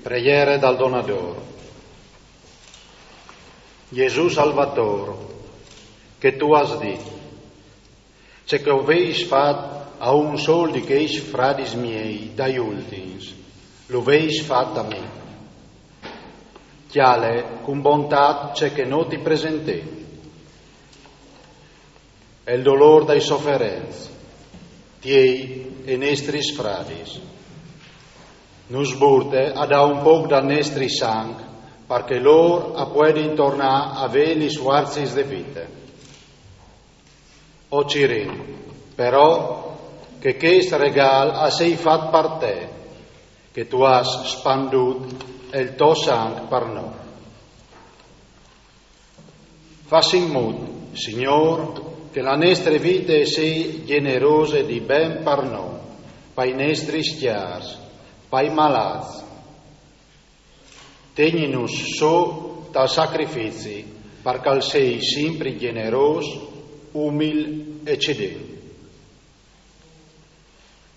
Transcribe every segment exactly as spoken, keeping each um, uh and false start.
Preghiere dal Donador. Gesù Salvator, che tu âs dit: ce che o veis fat a un sol di chescj fradis miei dai ultins, lu veis fat a mi. Cjale cun bontât ce che nô ti presentìn. El dolôr dai soferents, tiei e nestris fradis. Nus burte a dâ un pôc dal nestri sanc, par che lôr a puedin tornâ a vê lis fuarcis de vite. O cirìn, però, che chest regâl a sei fat par te, che tu âs spandût el to sanc par nô. Fas in mût, Signôr, che la nestre vite e sei gjenerose di ben par nô, pai nestris cjârs, pai malâts. Tegninus sù tal sacrifici, par che al sei simpri gjenerôs, umil e cedent.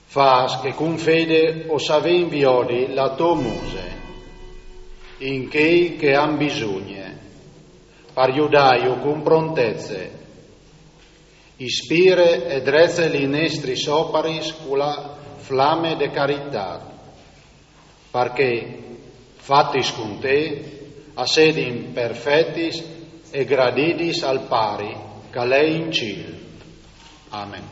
Fâs che cun fede o savìn viodi la tô muse in chei che a àn bisugne, par judâju cun prontece. Ispire e drece lis nestris oparis cu la flame de caritât, par che, fatis cun te, a sedin perfetis e gradidis al Pari che al è in cîl. Amen.